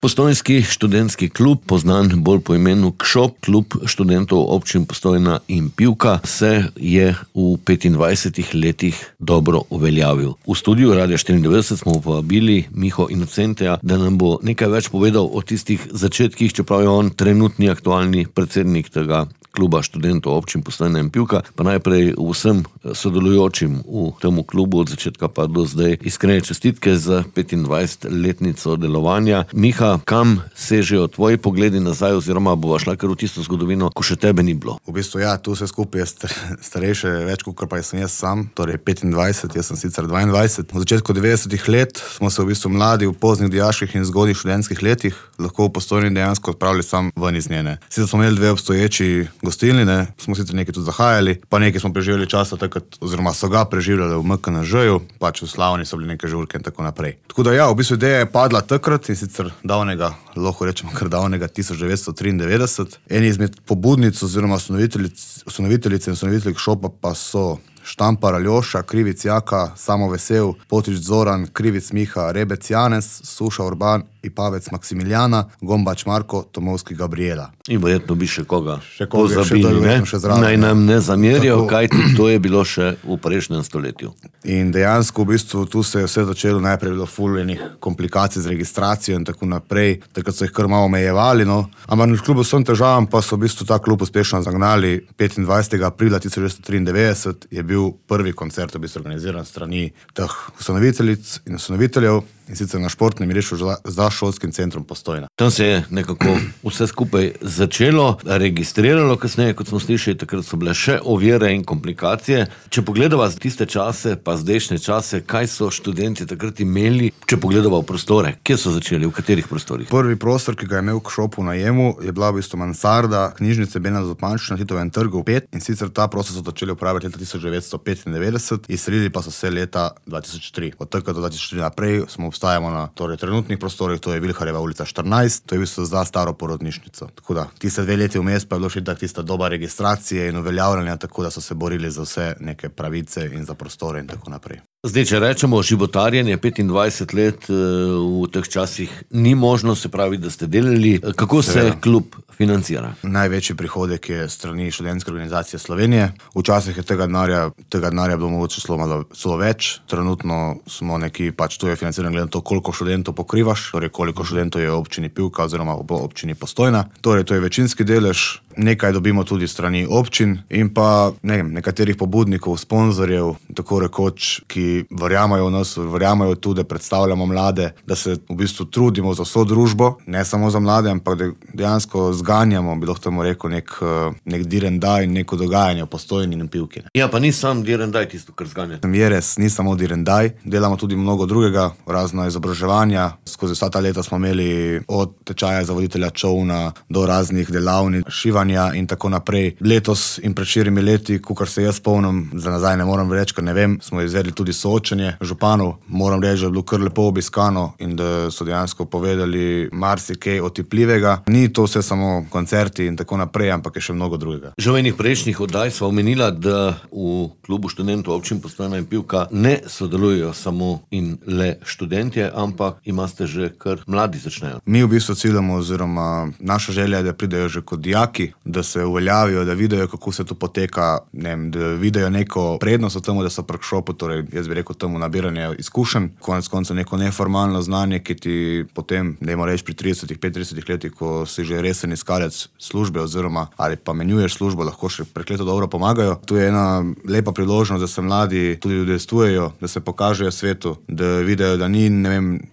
Postojnski študentski klub, poznan bolj po imenu KŠOP, klub študentov občin Postojna in Pivka, se je v 25 letih dobro uveljavil. V studiu Radia 94 smo povabili Miho Inocenteja, da nam bo nekaj več povedal o tistih začetkih, čeprav je on trenutni aktualni predsednik tega kluba študentov občin Postojna in Pivka. Pa najprej vsem sodelujočim v temu klubu od začetka pa do zdaj iskrene čestitke za 25-letnico delovanja. Miha, kam sežejo tvoji pogledi nazaj, oziroma bova šla kar v tisto zgodovino, ko še tebe ni bilo? V bistvu tu vse skupaj je starejše več, kot pa sem jaz sam, torej 25, jaz sem sicer 22. V začetku 90-ih let smo se v bistvu mladi v poznih dijaških in zgodnjih študentskih letih lahko v Postojni dejansko odpravili sam ven iz njene. Sicer smo imeli dve obstoječi gostilnine, smo sicer nekaj tudi zahajali, pa nekaj smo preživeli časa takrat, oziroma so ga preživljali v MKNŽ-ju, pač v Slavni so bili neke žurke in tako naprej. Tako da v bistvu ideja je padla takrat in sicer davnega, lahko rečemo kar davnega 1993. Eni izmed pobudnic oziroma ustanoviteljice in ustanovitelj KŠOP-a pa so Štampar Aljoša, Krivic Jaka, Samo Vesel, Potič Zoran, Krivic Miha, Rebec Janez, Suša Urban, Ipavec Maksimiljana, Gombač Marko, Tomovski Gabriela. In verjetno bi še koga pozabili, ne? Naj nam ne zamerijo, kajti to je bilo še v prejšnjem stoletju. In dejansko v bistvu tu se je vse začelo, najprej bilo ful enih komplikacij z registracijo in tako naprej, takrat so jih kar malo omejevali, no. Ampak kljub vsem težavam pa so v bistvu ta klub uspešno zagnali. 25. aprila 1993 je bil prvi koncert v bistvu organiziran strani teh ustanoviteljic in ustanoviteljev, in sicer na športnem igrišču za šolskim centrom Postojna. Tam se je nekako vse skupaj začelo, registriralo kasneje, kot smo slišali, takrat so bile še ovire in komplikacije. Če pogledava tiste čase, pa zdajšnje čase, kaj so študenti takrat imeli, če pogledava v prostore, kje so začeli, v katerih prostorih? Prvi prostor, ki ga je imel KŠOP v najemu, je bila v bistvu mansarda knjižnice Bena Zupaniča na Titovem trgu 5, in sicer ta prostor so začeli upravljati leta 1995, izselili pa so se leta 2003. Od takrat do 2004 naprej smo obstajamo na trenutnih prostorih, to je Vilharjeva ulica 14, to je v bistvu za staro porodnišnico. Tako da, tiste 2 leti vmes pa je bilo še tak tista doba registracije in uveljavljanja, tako da so se borili za vse neke pravice in za prostore in tako naprej. Zdaj, če rečemo životarjenje 25 let v teh časih ni možno, se pravi, da ste delali. Kako se klub financira? Največji prihodek je strani študentske organizacije Slovenije. Včasih je tega denarja bilo mogoče celo več. Trenutno smo neki, pač tu je financiran glede na to, koliko študentov pokrivaš, torej koliko študentov je v občini Pivka oziroma v občini Postojna. Torej, to je večinski delež. Nekaj dobimo tudi strani občin in pa nekaterih pobudnikov, sponzorjev, tako rekoč, ki verjamajo v nas, verjamajo tudi, da predstavljamo mlade, da se v bistvu trudimo za vso družbo, ne samo za mlade, ampak da dejansko zganjamo, bi lahko temu rekel, nek direndaj in neko dogajanje v Postojni in Pivki. Ja, pa ni sam direndaj tisto, kar zganja. Je res, ni samo direndaj, delamo tudi mnogo drugega, razno izobraževanja. Skozi vsa ta leta smo imeli od tečaja za voditelja čovna do raznih delavnic, šivanja in tako naprej. Letos in pred 4 leti, kakor se jaz spomnim, za nazaj ne moram reči, ker ne vem, smo izvedli tudi soočenje županov. Moram reči, da je bilo kar lepo obiskano in da so dejansko povedali marsikaj otipljivega. Ni to vse samo koncerti in tako naprej, ampak je še mnogo drugega. Že v enih prejšnjih oddaj sva omenila, da v klubu študentov občin Postojna in Pivka ne sodelujejo samo in le študentje, ampak imate že kar mladi začnejo. Mi v bistvu ciljamo, oziroma naša želja je, da pridejo že kot dijaki, da se uveljavijo, da vidijo, kako se to poteka, da vidijo neko prednost v tem, da so pri KŠOP-u, torej jaz bi rekel temu nabiranje izkušenj, konec koncev neko neformalno znanje, ki ti potem, dajmo reči pri 35 letih, ko si že resen iskalec službe oziroma ali pa menjuješ službo, lahko še prekleto dobro pomagajo. Tu je ena lepa priložnost, da se mladi tudi udejstvujejo, da se pokažejo svetu, da vidijo, da ni,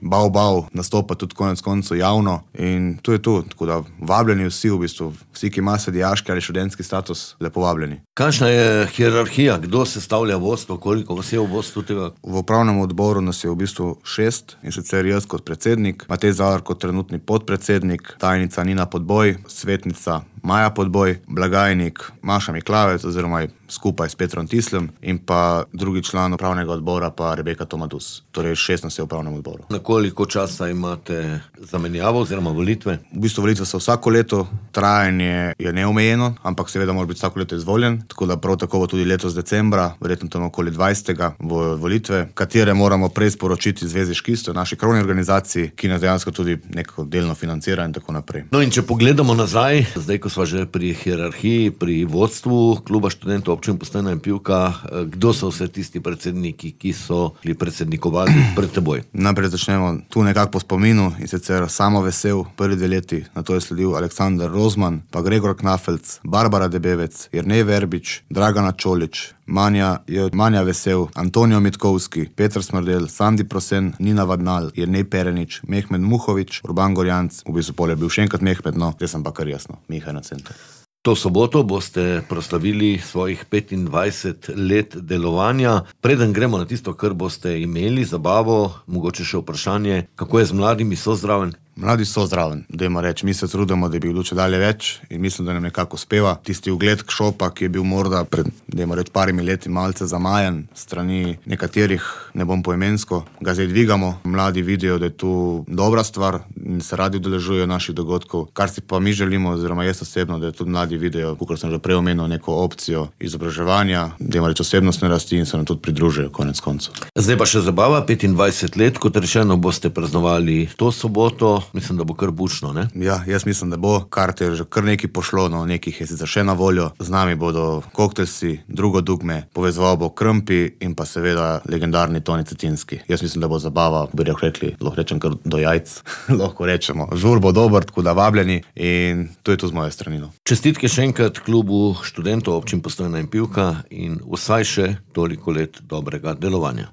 bav nastopa tudi konec koncev javno, in to je to. Tako da vabljeni vsi v bistvu, vsi, ki imajo dijaški ali študentski status, lepo vabljeni. Kakšna je hierarhija? Kdo sestavlja vodstvo? Koliko vas je v vodstvu tega? V upravnem odboru nas je v bistvu 6, in sicer jaz kot predsednik, Matej Zalar kot trenutni podpredsednik, tajnica Nina Podboj, svetnica Maja Podboj, blagajnik Maša Miklavec oziroma skupaj s Petrom Tislem in pa drugi član upravnega odbora pa Rebeka Tomadus. Torej 16 je v upravnem odboru. Na koliko časa imate zamenjavo oziroma volitve? V bistvu volitve so vsako leto, trajanje je neomejeno, ampak seveda mora biti vsako leto izvoljen, tako da prav tako bo tudi letos decembra, verjetno tam okoli 20. bo volitve, katere moramo prej sporočiti Zvezi škistov, naši krovni organizaciji, ki nas dejansko tudi neko delno financira in tako naprej. No in če pogledamo nazaj, zdaj ko sva že pri hierarhiji, pri vodstvu kluba študentov občine Postojna in Pivka, kdo so vse tisti predsedniki, ki so bili predsednikovali pred teboj? Najprej začnemo tu nekako po spominu, in sicer Samo Vesel, prvi 2 leti, nato je sledil Aleksander Rozman, pa Gregor Knafelc, Barbara Debevec, Jernej Verbič, Dragana Čolič, Manja Vesel, Antonijo Mitkovski, Petr Smrdel, Sandi Prosen, Nina Vadnal, Jernej Perenič, Mehmed Muhovič, Urban Gorjanc, v bistvu pol je bil še enkrat Mehmed, no, zdaj sem pa kar jasno, Miha na centru. To soboto boste proslavili svojih 25 let delovanja. Preden gremo na tisto, kar boste imeli, zabavo, mogoče še vprašanje, kako je z mladimi, so zraven? Mladi so zraven, dajmo reči, mi se trudimo, da bi bilo čedalje več in mislim, da nam nekako uspeva. Tisti ugled Kšopa, ki je bil morda pred, dajmo reči, parimi leti malce zamajan strani nekaterih, ne bom poimensko, ga zdaj dvigamo. Mladi vidijo, da je tu dobra stvar in se radi udeležujejo naših dogodkov. Kar si pa mi želimo, oziroma jaz osebno, da tudi mladi vidijo, kakor sem že prej omenil, neko opcijo izobraževanja, dajmo reči osebnostne rasti in se nam tudi pridružijo konec koncev. Zdaj pa še zabava, 25 let, kot rečeno, boste praznovali to soboto. Mislim, da bo kar bučno, ne? Ja, jaz mislim, da bo. Karte je že kar nekaj pošlo, no, nekih je sicer še na voljo. Z nami bodo koktelsi, Drugo dugme, povezoval bo Krmpi in pa seveda legendarni Toni Cetinski. Jaz mislim, da bo zabava, bi rekli, lahko rečem kar do jajc, lahko rečemo. Žur bo dober, tako da vabljeni in to je to z moje strani. Čestitke še enkrat klubu študentov občin Postojna in Pivka in vsaj še toliko let dobrega delovanja.